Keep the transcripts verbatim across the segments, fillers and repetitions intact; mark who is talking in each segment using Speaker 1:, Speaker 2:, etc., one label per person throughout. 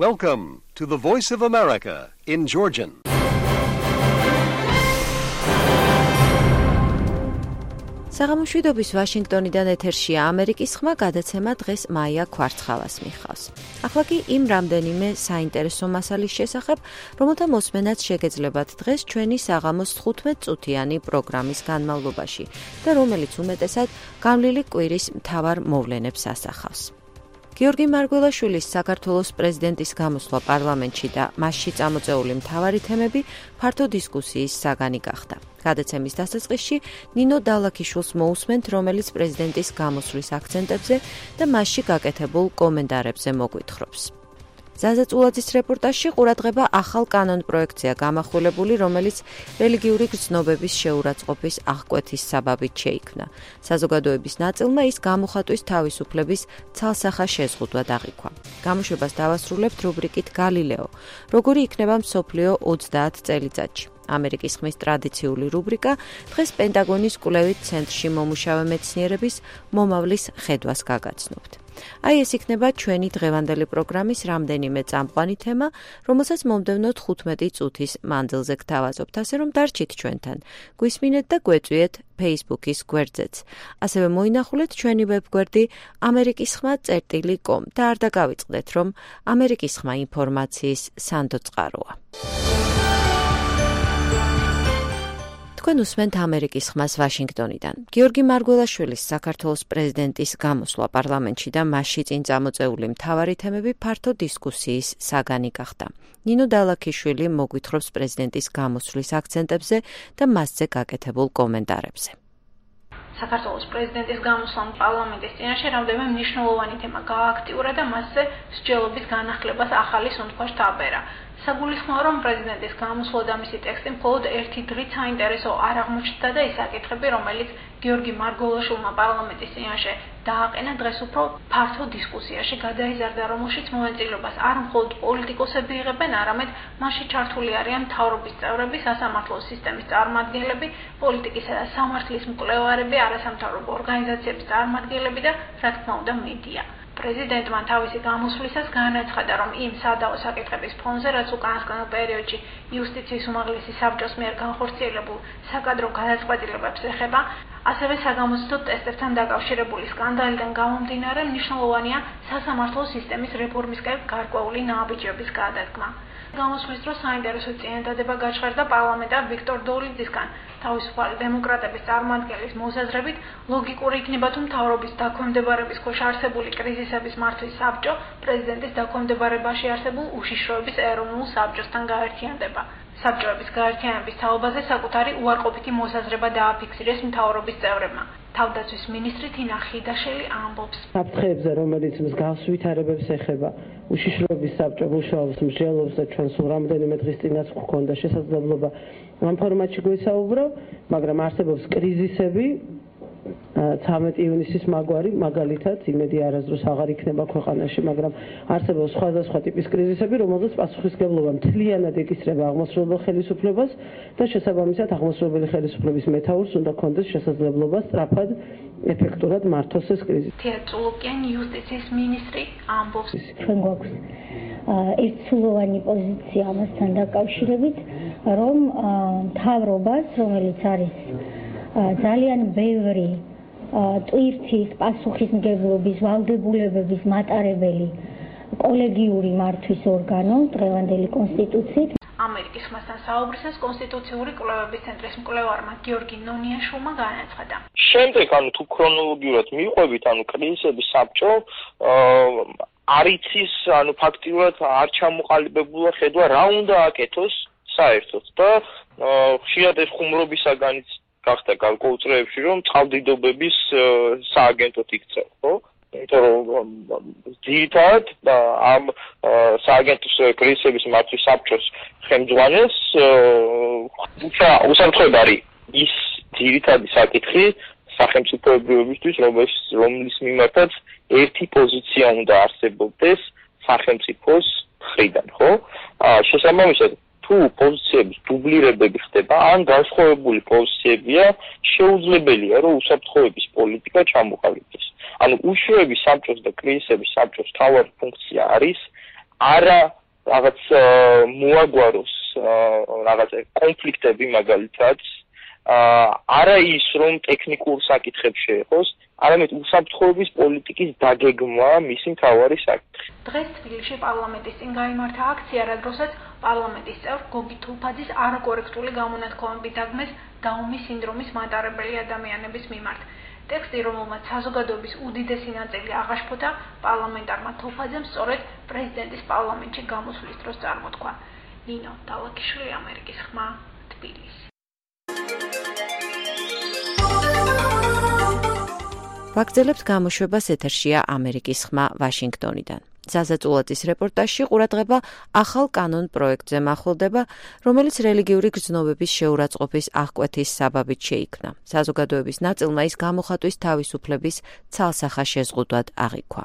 Speaker 1: Welcome to the Voice of America in Georgian.
Speaker 2: საღამოშვიდობის ვაშინგტონიდან ეთერშია ამერიკის ხმა, გადაცემა დღეს მაია ქვარცხალას მიხავს. ახლა კი იმ რამდენიმე საინტერესო მასალის შესახებ, რომელთა მოსმენაც შეგეძლებათ დღეს ჩვენი საღამოს თხუთმეტ წუთიანი პროგრამის განმავლობაში და რომელიც უმეტესად გამლილი კვირის მთავარ მოვლენებს ასახავს. გიორგი მარგველაშვილის საქართველოს პრეზიდენტის გამოსვლა პარლამენტში და მასში წამოწეული მთავარი თემები ფართო დისკუსიის საგანი გახდა. გადაცემის დასაწყისში ნინო დალაქიშვილს მოусმენთ, რომელიც პრეზიდენტის გამოსვლის აქცენტებზე და მასში გაკეთებულ კომენტარებზე მოგვითხრობს. ზაზა წულაძის რეპორტაჟში ყურადღება ახალ კანონ პროექტზეა გამახვილებული, რომელიც რელიგიური გრძნობების შეურაცხყოფის აღკვეთის საბაბით შეიქმნა. საზოგადოების ნაწილმა ის გამოხატვის თავისუფლების ცალსახა შეზღუდვა აღიქვა. გამოშვებას დავასრულებთ რუბრიკით გალილეო, როგორი იქნება მსოფლიო ოცდაათ წელიწადში. ამერიკის ხმის ტრადიციული რუბრიკა დღეს პენტაგონის კვლევით ცენტრში მომუშავე მეცნიერების მომავლის ხედვას გაგაცნობთ. აი ეს იქნება ჩვენი დღევანდელი პროგრამის რამდენიმე წამყვანი თემა, რომელსაც მომდევნო თხუთმეტი წუთის მანძილზე გთავაზობთ, ასე რომ დარჩით ჩვენთან. გვისმინეთ და გვეწვიეთ Facebook-ის გვერდზეც. ასევე მოინახულეთ ჩვენი ვებგვერდი ამერიკის ხმა წერტილი კომ და არ დაგავიწყდეთ, რომ ამერიკის ხმა ინფორმაციის სანდო წყაროა. თქვენ უსმენთ ამერიკის ხმას ვაშინგტონიდან. გიორგი მარგველაშვილის საქართველოს პრეზიდენტის გამოსვლა პარლამენტში და მასში წინ წამოწეული მთავარი თემები ფართო დისკუსიის საგანი გახდა. ნინო დალაქიშვილი მოგვითხრობს პრეზიდენტის გამოსვლის აქცენტებზე და მასზე გაკეთებულ კომენტარებზე.
Speaker 3: საქართველოს პრეზიდენტის გამოსვლა პარლამენტის წინაშე რამდენიმე მნიშვნელოვანი თემა გააქტიურა და მასზე მსჯელობის განახლებას ახალი სუნთქვა შთაბერა. საგულისხმოა, რომ პრეზიდენტის გამოსვლა და მისი ტექსტი მხოლოდ ერთი დღით საინტერესო არ აღმოჩნდა და ის საკითხები, რომელიც გიორგი მარგველაშვილმა პარლამენტის წინაშე დააყენა, დღეს უფრო ფართო დისკუსიაში გადაიზარდა, რომელშიც მონაწილეობას არ მხოლოდ პოლიტიკოსები იღებენ, არამედ მასში ჩართული არიან მთავრობის წევრები, სასამართლო სისტემის წარმომადგენლები, პოლიტიკისა და სამართლის მკვლევარები, არასამთავრობო ორგანიზაციების წარმომადგენლები და, რა თქმა უნდა, მედია. პრეზიდენტმა თავისი გამოსვლისას განაცხადა, რომ იმ სადავო საკითხების ფონზე, რაც უკანასკნელ პერიოდში იუსტიციის უმაღლესი საბჭოს მიერ განხორციელებულ საკადრო გადაწყვეტილებებს ეხება, ასევე საგამოცდო ტესტებთან დაკავშირებული სკანდალიდან გამომდინარე, მნიშვნელოვანია სასამართლო სისტემის რეფორმისკენ გარკვეული ნაბიჯების გადადგმა. გამოსვლის დროს საინტერესო წინადადება გაჩღერდა პარლამენტარ ვიქტორ დოლიძისგან. თავისუფალი დემოკრატების წარმომადგენლის მოსაზრებით, ლოგიკური იქნება, თუ მთავრობის დაქვემდებარების ქვეშ არსებული კრიზისების მართვის საბჭო პრეზიდენტის დაქვემდებარებაში არსებულ უშიშროების ეროვნულ საბჭოსთან გაერთიანდება. საბჭოების გაერთიანების თაობაზე საკუთარი უარყოფითი მოსაზრება დააფიქსირეს მთავრობის წევრებმა. თავდაცვის მინისტრი თინა ხიდაშელი ამბობს.
Speaker 4: საფრთხეებზე, რომელიც მსგავს ვითარებებს ეხება, უშიშროების საბჭო მუშაობს, მსჯელობს და ჩვენ სულ რამდენიმე დღის წინაც გვქონდა შესაძლებლობა ამ ფორმატში გვესაუბრო, მაგრამ არსებობს კრიზისები, ცამეტი ივნისის მაგვარი, მაგალითად, იმედი არასდროს აღარ იქნება ქვეყანაში, მაგრამ არსებობს სხვადასხვა ტიპის კრიზისები, რომელზეც პასუხისმგებლობა მთლიანად ეკისრება აღმოსავლელ ხელისუფლებას და შესაბამისად აღმოსავლელი ხელისუფლების მეთაურს უნდა ქონდეს შესაძლებლობა სწრაფად, ეფექტურად მართოს ეს კრიზისი.
Speaker 3: თეა წულუკიან იუსტიციის მინისტრი ამბობს.
Speaker 5: ჩვენ გვაქვს ერთსულოვანი პოზიცია ამასთან დაკავშირებით, რომ მთავრობას, რომელიც არის ძალიან ბევრი ტვირთის, პასუხისმგებლობის, ვალდებულებების მატარებელი კოლეგიური მართვის ორგანო დღევანდელი კონსტიტუციით.
Speaker 3: ამერიკის ხმასთან საუბრისას კონსტიტუციური კვლევების ცენტრის მკვლევარმა გიორგი ნონიაშვილმა განაცხადა.
Speaker 6: შემდეგ, ანუ თუ ქრონოლოგიურად მივყვებით, ანუ კრიზისების საბჭო არ იცის, ანუ ფაქტიურად არ ჩამოყალიბებულა ხედვა რა უნდა აკეთოს საერთოდ და ხშირად ეს ხუმრობისაგანიც გახდა გარკვეულ წრეებში, რომ წყალდიდობების სააგენტოდ იქცევ, ხო? იმიტომ რომ ძირითადად ამ სააგენტოს კრიზისების მართვის საბჭოს ხელმძღვანელს უსამართლოდ არის ის ძირითადი საკითხი სახელმწიფოებრიობისთვის, რომლის მიმართაც ერთი პოზიცია უნდა არსებობდეს სახელმწიფოს მხრიდან, ხო? შესაბამისად თუ პოზიციების დუბლირებები ხდება, ან განსხვავებული პოზიციებია, შეუძლებელია, რომ უსაფრთხოების პოლიტიკა ჩამოყალიბდეს. ანუ უშუალო საბჭოს და კრიზისების საბჭოს თავარი ფუნქცია არის არა რაღაც მოაგვაროს რაღაც კონფლიქტები მაგალითად არა ის რომ ტექნიკურ საკითხებს შეეხოს, არამედ უსაფრთხოების პოლიტიკის დაგეგმა მისი მთავარი საკითხი.
Speaker 3: დღეს თბილისში პარლამენტის წინ გაიმართა აქცია, რადგანაც პარლამენტის წევრ გოგი თულფაძის არაკორექტული გამონათქვამები დაგმეს დაუმის სინდრომის მატარებელი ადამიანების მიმართ. ტექსტი, რომელმაც საზოგადოების უდიდესი ნაწილი აღაშფოთა, პარლამენტარმა თულფაძემ სწორედ პრეზიდენტის პარლამენტში გამოსვლის დროს წარმოთქვა. ნინო დალაკიშვილი, ამერიკის ხმა, თბილისი.
Speaker 2: ვაგრძელებთ გამოშვებას, ეთერშია ამერიკის ხმა ვაშინგტონიდან. ზაზა წულაძის რეპორტაჟში ყურადღება ახალ კანონ პროექტზე მახვილდება, რომელიც რელიგიური გრძნობების შეურაცხყოფის აღკვეთის საბაბით შეიქმნა. საზოგადოების ნაწილმა ის გამოხატვის თავისუფლების ცალსახა შეზღუდვად აღიქვა.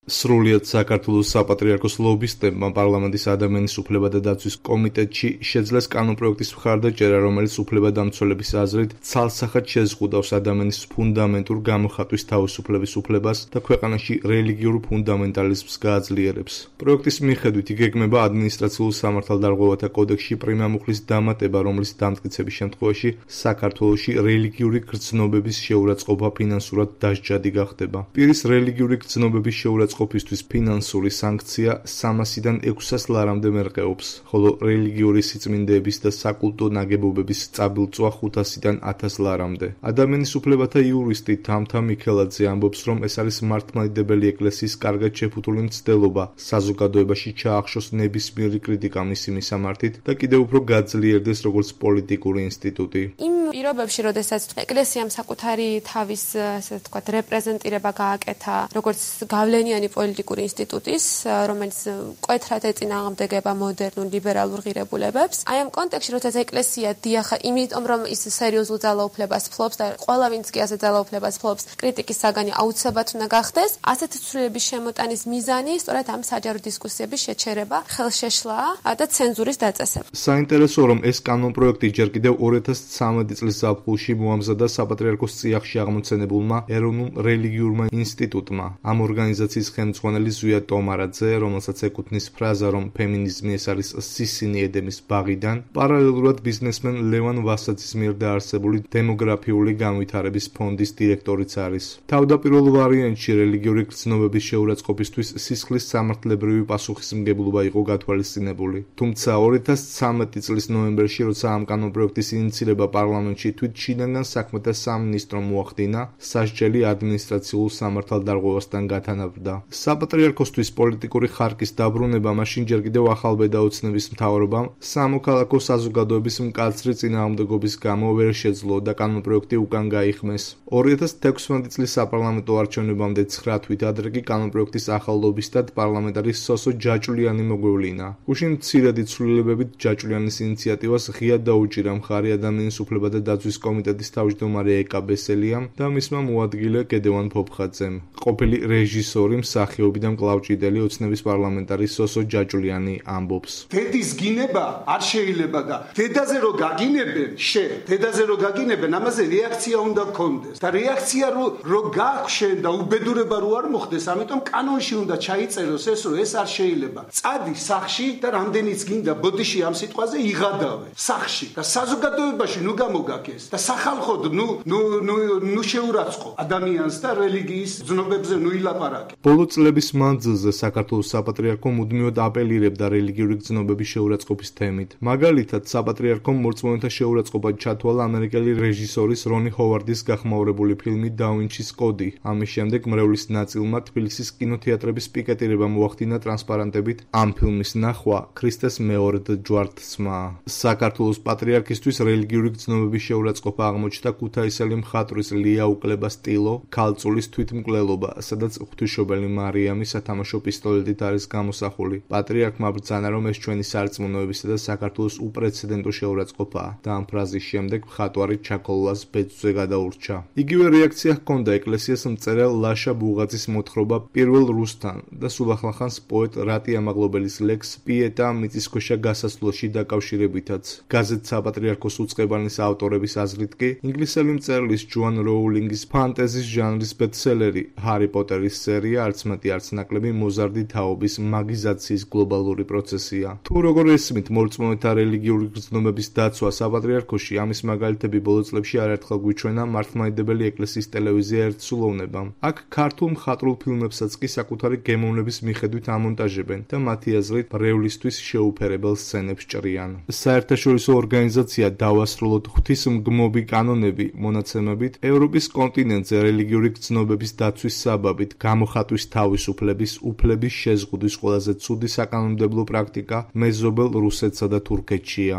Speaker 7: სრულიად საქართველოს საპატრიარქოს ლობისტებმა პარლამენტის ადამიანის უფლებათა დაცვის კომიტეტში შეძლეს კანონპროექტის მხარდაჭერა, რომელიც უფლებადამცველების აზრით ცალსახად შეზღუდავს ადამიანის ფუნდამენტურ გამოხატვის თავისუფლების უფლებას და ქვეყანაში რელიგიურ ფუნდამენტალიზმს გააძლიერებს. პროექტის მიხედვით იგეგმება ადმინისტრაციულ სამართალდარღვევათა კოდექსში პრიმამუხლის დამატება, რომლის დამტკიცების შემთხვევაში საქართველოში რელიგიური გრძნობების შეურაცხყოფა ფინანსურად დასჯადი გახდება. პირის რელიგიური გრძნობების შეურაცხყოფა ყოფისთვის ფინანსური სანქცია სამასიდან ექვსას ლარამდე მერყეობს, ხოლო რელიგიური სიწმინდეების და საკულტო ნაგებობების წაბილწვა ხუთასიდან ათას ლარამდე. ადამიანის უფლებათა იურისტი თამთა მიქელაძე ამბობს, რომ ეს არის მართლმადიდებელი ეკლესიის კარგად შეფუთული მცდელობა საზოგადოებაში ჩაახშოს ნებისმიერი კრიტიკა მისი მისამართით და კიდევ უფრო გაძლიერდეს როგორც პოლიტიკური ინსტიტუტი.
Speaker 8: იმ პირობებში, როდესაც ეკლესიამ საკუთარი თავის, ასე ვთქვათ, რეპრეზენტირება გააკეთა, როგორც გავლენიანი პოლიტიკური ინსტიტუტის, რომელიც მკვეთრად ეწინააღმდეგება მოდერნულ ლიბერალურ ღირებულებებს. აი ამ კონტექსტში, როდესაც ეკლესია დიახა, იმიტომ რომ ის სერიოზულ ძალაუფლებას ფლობს და ყველა ვინც კი ასე ძალაუფლებას ფლობს, კრიტიკის საგანი აუცილებლად უნდა გახდეს, ასეთი ცვლილების შემოტანის მიზანი სწორედ ამ საჯარო დისკუსიების შეჩერება, ხელშეშლაა და ცენზურის დაწესება.
Speaker 7: საინტერესოა, რომ ეს კანონპროექტი ჯერ კიდევ ორი ათას ცხრამეტი წლის ზაფხულში მოამზადა საპატრიარქოს წიაღში აღმოცენებულმა ეროვნულ რელიგიურმა ინსტიტუტმა. ამ ორგანიზაციის ხელმძღვანელი ზვია ტომარაძე, რომელსაც ეკუთვნის ფრაზა, რომ ფემინიზმი ეს არის სისინი ედემის ბაღიდან, პარალელურად ბიზნესმენ ლევან ვასაძის მიერ დაარსებული დემოგრაფიული განვითარების ფონდის დირექტორიც არის. თავდაპირველ ვარიანტში რელიგიური გრძნობების შეურაცხყოფისთვის სისხლის სამართლებრივი პასუხისმგებლობა იყო გათვალისწინებული. თუმცა ორი ათას ცხრამეტი წლის ნოემბერში, როცა ამ კანონპროექტის ინიცირება პარლამენტში თვით შინაგან საქმეთა სამინისტრომ მოახდინა, სასჯელი ადმინისტრაციულ სამართალდარღვევასთან გათანაბრდა. საპატრიარქოსთვის პოლიტიკური ხარკის დაბრუნება მაშინ ჯერ კიდევ ახალბედა ოცნების მთავრობამ სამოქალაქო საზოგადოების მკაცრი წინააღმდეგობის გამო ვერ შეძლო და კანონპროექტი უკან გაიხმეს. ორი ათას თექვსმეტი წლის საპარლამენტო არჩევნებამდე ცხრა თვით ადრე კი კანონპროექტის ახალ ლობისტად პარლამენტარი სოსო ჯაჭვლიანი მოგვევლინა. გუშინ მცირედი ცვლილებებით ჯაჭვლიანის ინიციატივას ღიად დაუჭირა მხარი ადამიანის უფლებათა დაცვის კომიტეტის თავმჯდომარე ეკა ბესელიამ და მისმა მოადგილე გედევან ფოფხაძემ. ყოფილი რეჟისორი მსახიობი და მკლავჭიდელი ოცნების პარლამენტარი სოსო ჯაჭვლიანი ამბობს.
Speaker 9: დედის გინება არ შეიძლება და დედაზე რო გაგინებენ, შე, დედაზე რო გაგინებენ, ამაზე რეაქცია უნდა გქონდეს. და რეაქცია რო რო გაქვს შენ და უბედურება რო არ მოხდეს, ამიტომ კანონში უნდა ჩაიწეროს ეს, რომ ეს არ შეიძლება. წადი სახში და რამდენიც გინდა ბოდიში ამ სიტყვაზე იღადავე. სახში და საზოგადოებაში ნუ გამოგაკეს და სახალხოდ ნუ ნუ ნუ ნუ შეურაცხყოფ ადამიანს და რელიგიის ძნობებზე ნუ ილაპარაკე.
Speaker 7: ბოლო წლების მანძილზე საქართველოს საპატრიარქო მუდმივად აპელირებდა რელიგიური გრძნობების შეურაცხყოფის თემით. მაგალითად, საპატრიარქომ მორწმუნეთა შეურაცხყოფა ჩათვალა ამერიკელი რეჟისორის რონი ჰოვარდის გახმაურებული ფილმი და ვინჩის კოდი. ამის შემდეგ მრევლის ნაწილმა თბილისის კინოთეატრების პიკეტირება მოახდინა ტრანსპარანტებით ამ ფილმის ნახვა ქრისტეს მეორედ ჯვართსმა. საქართველოს პატრიარქისთვის რელიგიური გრძნობების შეურაცხყოფა აღმოჩნდა ქუთაისელი მხატვრის ლია უკლება-სტილო ქალწულის თვითმკვლელობა, სადაც ღვთისმშობელი მარიამი სათამაშო პისტოლეტით არის გამოსახული. პატრიარქმა ბრძანა, რომ ეს ჩვენი სარწმუნოებისა და საქართველოს უპრეცედენტო შეურაცხყოფაა და ამ ფრაზის შემდეგ მხატვარი ჩაკოლას ბეწვზე გადაურჩა. იგივე რეაქცია ჰქონდა ეკლესიას მწერალ ლაშა ბუღაძის მოთხრობა პირველ რუსთან და სულახან-ხანს პოეტ რატი ამაღლობელის ლექს პიეტა მიწისქვეშა გასასვლელში დაკავშირებითაც. გაზეთ საპატრიარქოს უწყებანის ავტორი ავტორების აზრით კი ინგლისელი მწერლის ჯოან როულინგის ფანტეზის ჟანრის ბესტსელერი ჰარი პოტერის სერია არც მეტი არც ნაკლები მოზარდი თაობის მაგიზაციის გლობალური პროცესია. თუ როგორ ესმით მორწმუნეთა რელიგიური გრძნობების დაცვა საპატრიარქოში, ამის მაგალითები ბოლო წლებში არაერთხელ გვიჩვენა მართლმადიდებელი ეკლესიის ტელევიზია ერთსულოვნებამ. აქ ქართულ მხატვრულ ფილმებსაც კი საკუთარი გემოვნების მიხედვით ამონტაჟებენ და მათი აზრით ბრევლისთვის შეუფერებელ სცენებს ჭრიან. საერთაშორისო ორგანიზაცია დავასრულოთ ღვთისმგმობი კანონები მონაცემებით ევროპის კონტინენტზე რელიგიური გრძნობების დაცვის საბაბით გამოხატვის თავისუფლების უფლების შეზღუდვის ყველაზე ცუდი საკანონმდებლო პრაქტიკა მეზობელ რუსეთსა და თურქეთშია.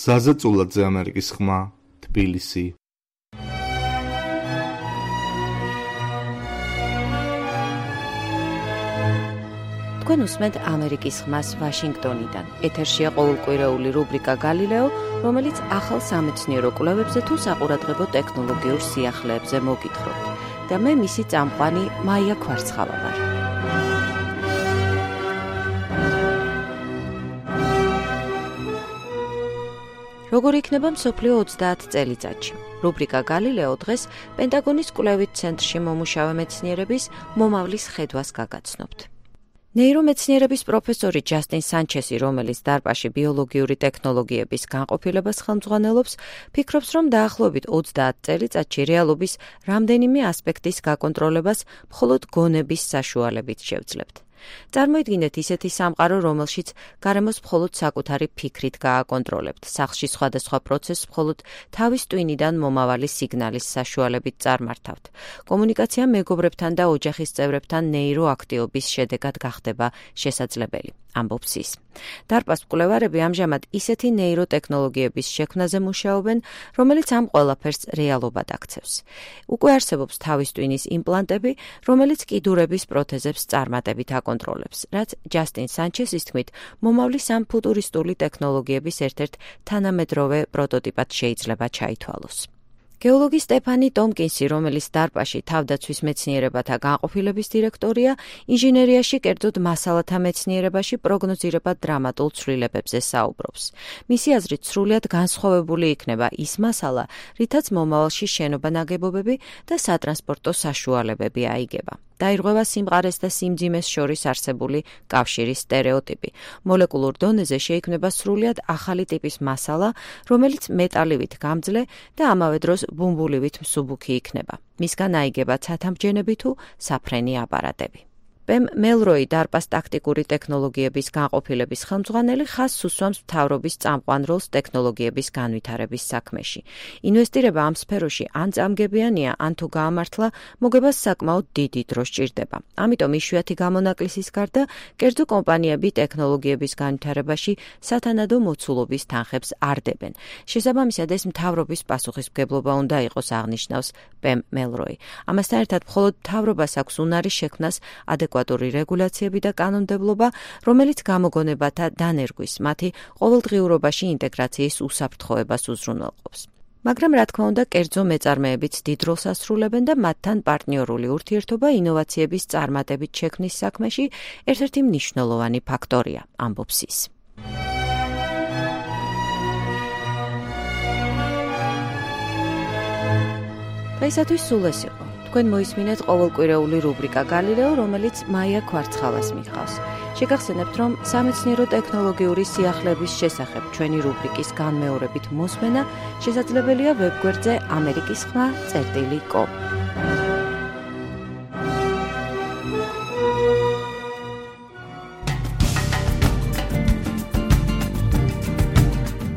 Speaker 7: ზაზა წულაძე, ამერიკის ხმა, თბილისი.
Speaker 2: თქვენ უსმენთ ამერიკის ხმას ვაშინგტონიდან. ეთერშია ყოველკვირეული რუბრიკა გალილეო, რომელიც ახალ სამეცნიერო კვლევებზე თუ საყურადღებო ტექნოლოგიურ სიახლეებზე მოგითხრობთ. და მე მისი წამყვანი მაია ქვარცხავა ვარ. როგორ იქნება მსოფლიო ოცდაათ წელიწადში? რუბრიკა გალილეო დღეს პენტაგონის კვლევით ცენტრში მომუშავე მეცნიერების მომავლის ხედვას გაგაცნობთ. ნეირომეცნიერების პროფესორი ჯასტინ სანჩესი, რომელიც დარპაში ბიოლოგიური ტექნოლოგიების განყოფილებას ხელმძღვანელობს, ფიქრობს, რომ დაახლოებით ოცდაათ წელიწადში რეალობის რამდენიმე ასპექტის გაკონტროლებას მხოლოდ გონების საშუალებით შევძლებთ. წარმოიდგინეთ ისეთი სამყარო, რომელშიც გარემოს მხოლოდ საკუთარი ფიქრით გააკონტროლებთ, სახლში სხვადასხვა პროცესს მხოლოდ თავის ტვინიდან მომავალი სიგნალის საშუალებით წარმართავთ. კომუნიკაცია მეგობრებთან და ოჯახის წევრებთან ნეიროაქტივობის შედეგად გახდება შესაძლებელი. ამბობს ის. დარპას მკვლევარები ამჟამად ისეთი ნეიროტექნოლოგიების შექმნაზე მუშაობენ, რომელიც ამ ყველაფერს რეალობად აქცევს. უკვე არსებობს თავის ტვინის იმპლანტები, რომელიც კიდურების პროთეზებს წარმატებით აკონტროლებს, რაც ჯასტინ სანჩესის თქმით, მომავლის ამ ფუტურისტული ტექნოლოგიების ერთ-ერთ თანამედროვე პროტოტიპად შეიძლება ჩაითვალოს. გეოლოგი სტეფანი ტომკინსი, რომელიც დარპაში თავდაცვის მეცნიერებათა განყოფილების დირექტორია, ინჟინერიაში, კერძოდ მასალათა მეცნიერებაში პროგნოზირებად დრამატულ ცვლილებებზე საუბრობს. მისი აზრით, სრულიად განსხვავებული იქნება ის მასალა, რითაც მომავალში შენობა-ნაგებობები და სატრანსპორტო საშუალებები აიგება. დაირღვევა სიმყარეს და სიმძიმეს შორის არსებული კავშირის სტერეოტიპი. მოლეკულურ დონეზე შეიქმნება სრულიად ახალი ტიპის მასალა, რომელიც მეტალივით გამძლე და ამავე დროს ბუმბულივით მსუბუქი იქნება. მისგან აიგება ცათამბჯენები თუ საფრენი აპარატები. პემ მელროი, დარპას ტაქტიკური ტექნოლოგიების განყოფილების ხელმძღვანელი, ხაზს უსვამს მთავრობის წამყვან როლს ტექნოლოგიების განვითარების საქმეში. ინვესტირება ამ სფეროში ან წამგებიანია, ან თუ გაამართლა, მოგებას საკმაოდ დიდი დრო სჭირდება. ამიტომ იშვიათი გამონაკლისის გარდა, კერძო კომპანიები ტექნოლოგიების განვითარებაში სათანადო მოცულობის თანხებს არ დებენ. შესაბამისად, ეს მთავრობის პასუხისმგებლობა უნდა იყოს, აღნიშნავს პემ მელროი. ამასთან ერთად, მხოლოდ მთავრობას აქვს უნარი შექმნას ადეკვატური რეგულაციები და კანონმდებლობა, რომელიც გამოგონებათა დანერგვის, მათი ყოველდღიურობაში ინტეგრაციის უსაფრთხოებას უზრუნველყოფს. მაგრამ, რა თქმა უნდა, კერძო მეწარმეებიც დიდ როლს ასრულებენ და მათთან პარტნიორული ურთიერთობა ინოვაციების წარმატებით შექმნის საქმეში ერთ-ერთი მნიშვნელოვანი ფაქტორია, ამბობს ის. დღეისათვის სულ ეს იყო. თქვენ მოისმინეთ ყოველკვირეული რუბრიკა გალილეო, რომელიც მაია ქვარცხავას მიხავს. შეგახსენებთ, რომ სამეცნიერო ტექნოლოგიური სიახლეების შესახებ ჩვენი რუბრიკის განმეორებით მოსმენა შესაძლებელია ვებგვერდზე ამერიკის ხმა წერტილი კომ.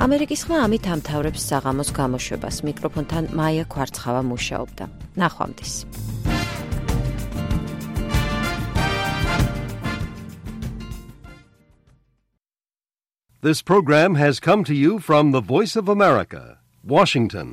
Speaker 2: ამერიკის ხმა ამით ამთავრებს საღამოს გამოშვებას. მიკროფონთან მაია ქვარცხავა მუშაობდა. ნახვამდის.
Speaker 1: This program has come to you from the Voice of America, Washington.